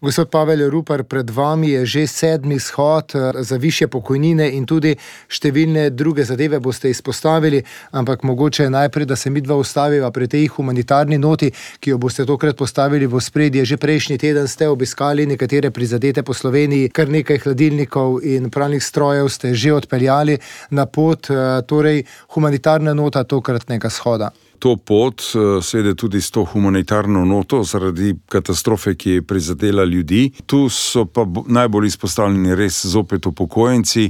Gospod Pavel Rupar, pred vami je že 7. shod za višje pokojnine in tudi številne druge zadeve boste izpostavili, ampak mogoče najprej, da se midva ustaviva pri tej humanitarni noti, ki jo boste tokrat postavili v ospredje. Že prejšnji teden ste obiskali nekatere prizadete po Sloveniji, kar nekaj hladilnikov in pralnih strojev ste že odpeljali na pot, torej humanitarna nota tokratnega shoda. To pot, seveda tudi s to humanitarno noto zaradi katastrofe, ki je prizadela ljudi. Tu so pa najbolj izpostavljeni res zopet upokojenci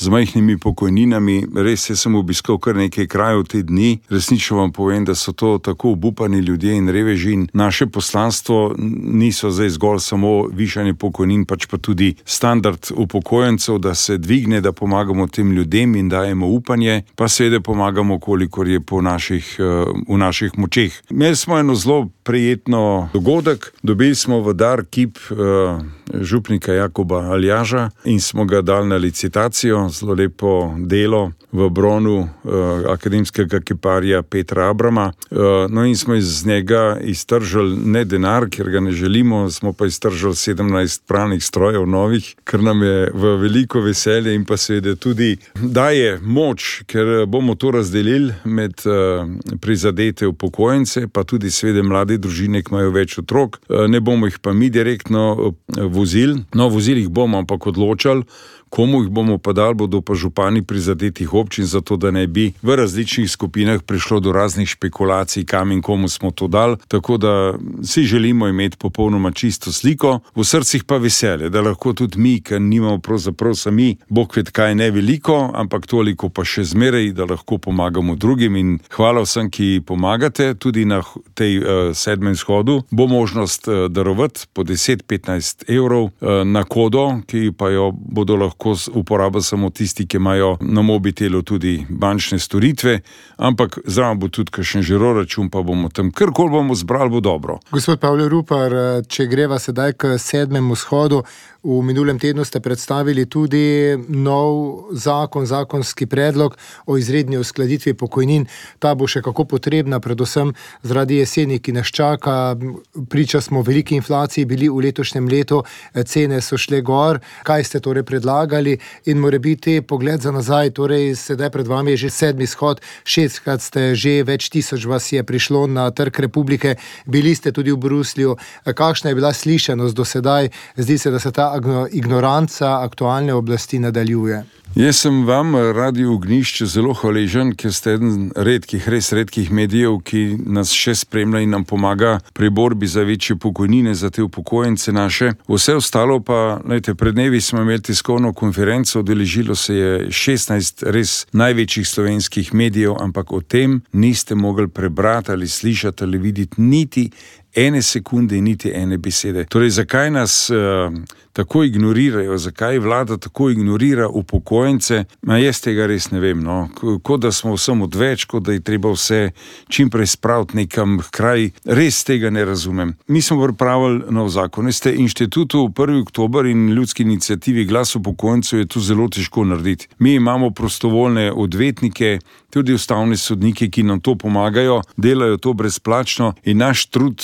z majhnimi pokojninami. Res, jaz sem obiskal kar nekaj krajev te dni. Resnično vam povem, da so to tako obupani ljudje in reveži. In naše poslanstvo niso zdaj zgolj samo višanje pokojnin, pač pa tudi standard upokojencev, da se dvigne, da pomagamo tem ljudem in dajemo upanje, pa seveda pomagamo, kolikor je v naših močeh. Imeli smo eno zelo prijetno dogodek. Dobili smo v dar kip župnika Jakoba Aljaža in smo ga dali na licitacijo. Zelo lepo delo v bronu akademskega kiparja Petra Abrama. No in smo iz njega iztržili ne denar, ker ga ne želimo, smo pa iztržili 17 pralnih strojev novih, ker nam je v veliko veselje in pa seveda tudi daje moč, ker bomo to razdelili med prizadete upokojence, pa tudi seveda mlade družine, ki imajo več otrok. Ne bomo jih pa mi direktno vozili. No, vozili jih bomo, ampak odločali, komu jih bomo pa dali, bodo pa župani prizadetih občin, zato da ne bi v različnih skupinah prišlo do raznih špekulacij, kam in komu smo to dali. Tako da si želimo imeti popolnoma čisto sliko, v srcih pa veselje, da lahko tudi mi, ker nimamo pravzaprav sami, bog ved kaj ne veliko, ampak toliko pa še zmeraj, da lahko pomagamo drugim. In hvala vsem, ki pomagate, tudi na tej 7. shodu bo možnost darovati po 10-15 evrov na kodo, ki pa jo bodo lahko uporabili samo tisti, ki imajo na mobitelu tudi bančne storitve, ampak zraven bo tudi kakšen žiroračun, pa bomo tam karkoli bomo zbrali, bo dobro. Gospod Pavel Rupar, če greva sedaj k 7. shodu, v minulem tednu ste predstavili tudi nov zakonski predlog o izredni uskladitvi pokojnin. Ta bo še kako potrebna, predvsem zaradi jeseni, ki nas čaka. Priča smo veliki inflaciji bili v letošnjem letu, cene so šle gor. Kaj ste torej predlagali in morebiti pogled za nazaj, torej sedaj pred vami je že 7. shod, 6-krat ste že, več tisoč vas je prišlo na Trg Republike, bili ste tudi v Bruslju. Kakšna je bila slišanost do sedaj? Zdi se, da se ta ignoranca aktualne oblasti nadaljuje. Jaz sem vam, Radio Ognjišče, zelo hvaležen, ker ste eden res redkih medijev, ki nas še spremlja in nam pomaga pri borbi za večje pokojnine za te upokojence naše. Vse ostalo pa, pred dnevi smo imeli tiskovno konferenco, udeležilo se je 16 res največjih slovenskih medijev, ampak o tem niste mogli prebrati ali slišati ali videti niti ene sekunde in niti ene besede. Torej, zakaj nas tako ignorirajo, zakaj vlada tako ignorira upokojence, jaz tega res ne vem. No. Kot da smo vsem odveč, kot da je treba vse čimprej spraviti nekam kraj, res tega ne razumem. Mi smo pripravili nov zakon. Veste, inštitutu 1. oktober in ljudski iniciativi Glas upokojencev je to zelo težko narediti. Mi imamo prostovoljne odvetnike, tudi ustavne sodnike, ki nam to pomagajo, delajo to brezplačno in naš trud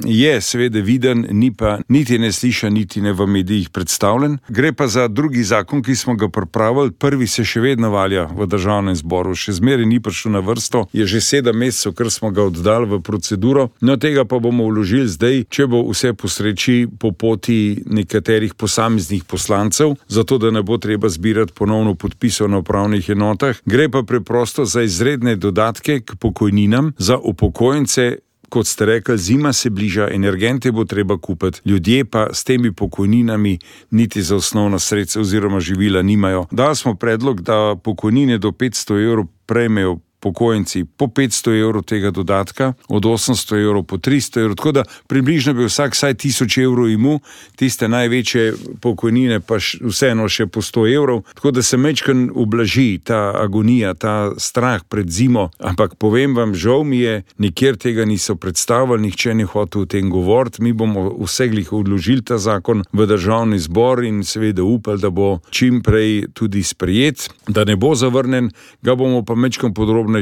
je seveda viden, ni pa niti ne slišan, niti ne v medijih predstavljen. Gre pa za drugi zakon, ki smo ga pripravili. Prvi se še vedno valja v državnem zboru, še zmeraj ni prišel na vrsto, je že 7 mesecev, ker smo ga oddali v proceduro. No, tega pa bomo vložili zdaj, če bo vse po sreči, po poti nekaterih posameznih poslancev, zato da ne bo treba zbirati ponovno podpisov na upravnih enotah. Gre pa preprosto za izredne dodatke k pokojninam za upokojence. Kot ste rekli, zima se bliža, energente bo treba kupiti, ljudje pa s temi pokojninami niti za osnovna sredstva oziroma živila nimajo. Dali smo predlog, da pokojnine do 500 evrov prejmejo upokojenci po 500 evrov tega dodatka, od 800 evrov po 300 evrov, tako da približno bi vsak vsaj 1000 evrov imel, tiste največje pokojnine pa vseeno še po 100 evrov, tako da se majčkeno ublaži ta agonija, ta strah pred zimo, ampak povem vam, žal mi je, nikjer tega niso predstavili, nihče ne hotel o tem govoriti. Mi bomo vseglih odložili ta zakon v državni zbor in seveda upali, da bo čim prej tudi sprejet, da ne bo zavrnen, ga bomo pa majčkeno podrobno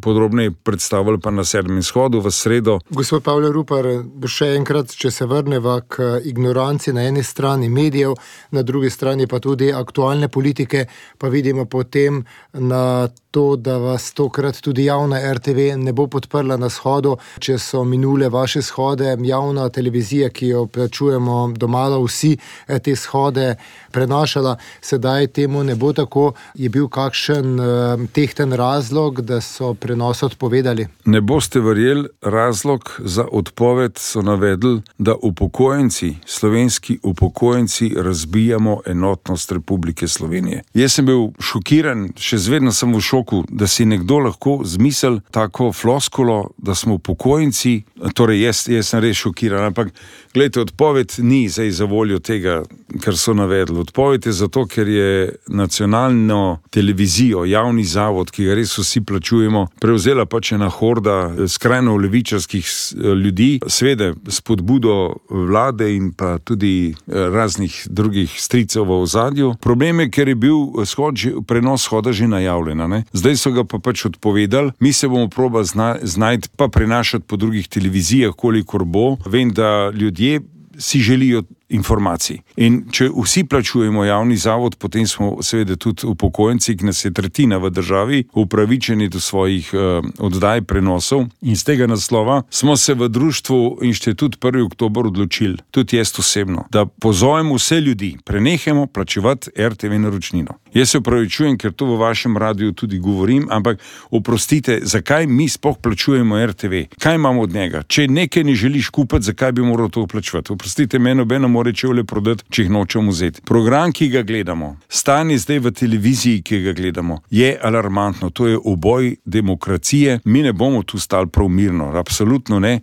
podrobneje predstavili pa na 7. shodu v sredo. Gospod Pavle Rupar, še enkrat, če se vrneva k ignoranci na eni strani medijev, na drugi strani pa tudi aktualne politike, pa vidimo potem na to, da vas tokrat tudi javna RTV ne bo podprla na shodu, če so minule vaše shode, javna televizija, ki jo plačujemo domala vsi, te shode prenašala, sedaj temu ne bo tako. Je bil kakšen tehten razlog, da so prenos odpovedali? Ne boste verjeli, razlog za odpoved so navedli, da upokojenci, slovenski upokojenci razbijamo enotnost Republike Slovenije. Jaz sem bil šokiran, še zvedno sem v šoku, da si nekdo lahko zmisel tako floskulo, da smo upokojenci, torej jaz sem res šokiran, ampak gledajte, odpoved ni zdaj za voljo tega, kar so navedli. Odpoved je zato, ker je nacionalno televizijo, javni zavod, ki ga res vsi plačujemo, prevzela pač ena horda skrajno levičarskih ljudi, seveda spodbudo vlade in pa tudi raznih drugih stricev v ozadju. Problem je, ker je bil prenos shoda že najavljen, ne? Zdaj so ga pa pač odpovedali, mi se bomo probali znajti pa prenašati po drugih televizijah, kolikor bo. Vem, da ljudje si želijo informacij. In če vsi plačujemo javni zavod, potem smo seveda tudi upokojenci, ki nas je tretjina v državi, upravičeni do svojih oddaj prenosov. In z tega naslova smo se v društvu Inštitut 1. oktober odločili, tudi jaz osebno, da pozovemo vse ljudi, prenehajmo plačevati RTV naročnino. Jaz se opravičujem, ker to v vašem radiju tudi govorim, ampak oprostite, zakaj mi sploh plačujemo RTV? Kaj imamo od njega? Če nekaj ne želiš kupiti, zakaj bi moral to plačevati? Oprostite, meni nobeno more čevlje prodati, če jih nočemo vzeti. Program, ki ga gledamo, stanje zdaj v televiziji, ki ga gledamo, je alarmantno. To je uboj demokracije. Mi ne bomo tu stali prav mirno, absolutno ne.